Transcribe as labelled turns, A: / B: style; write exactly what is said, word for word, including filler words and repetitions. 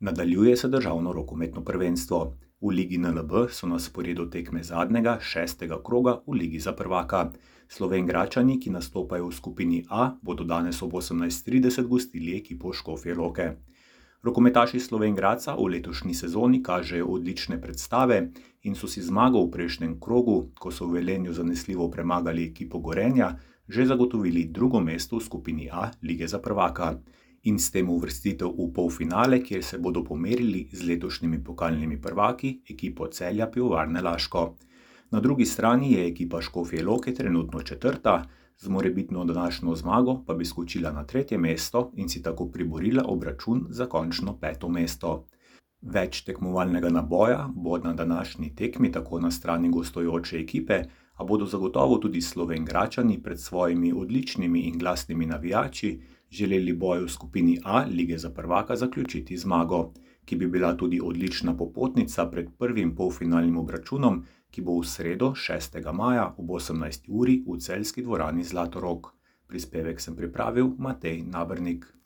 A: Nadaljuje se državno rokometno prvenstvo. V Ligi N L B so na sporedu tekme zadnjega, šestega kroga v Ligi za prvaka. Slovenjgradčani, ki nastopajo v skupini A, bodo danes ob osemnajst trideset gostili ekipo Škofje Loke. Rokometaši Slovenjgradca v letošnji sezoni kažejo odlične predstave in so si zmago v prejšnjem krogu, ko so v Velenju zanesljivo premagali ekipo Gorenja, že zagotovili drugo mesto v skupini A Lige za prvaka. In s tem uvrstitev v polfinale, kjer se bodo pomerili z letošnjimi pokalnimi prvaki, ekipo Celja Pivovarne Laško. Na drugi strani je ekipa Škofje Loke trenutno četrta, z morebitno današnjo zmago pa bi skočila na tretje mesto in si tako priborila obračun za končno peto mesto. Več tekmovalnega naboja bo na današnji tekmi tako na strani gostujoče ekipe, a bodo zagotovo tudi Slovenjgradčani pred svojimi odličnimi in glasnimi navijači želeli boj v skupini A Lige za prvaka zaključiti zmago, ki bi bila tudi odlična popotnica pred prvim polfinalnim obračunom, ki bo v sredo šestega maja ob osemnajsti uri v celjski dvorani Zlatorog. Prispevek sem pripravil Matej Nabernik.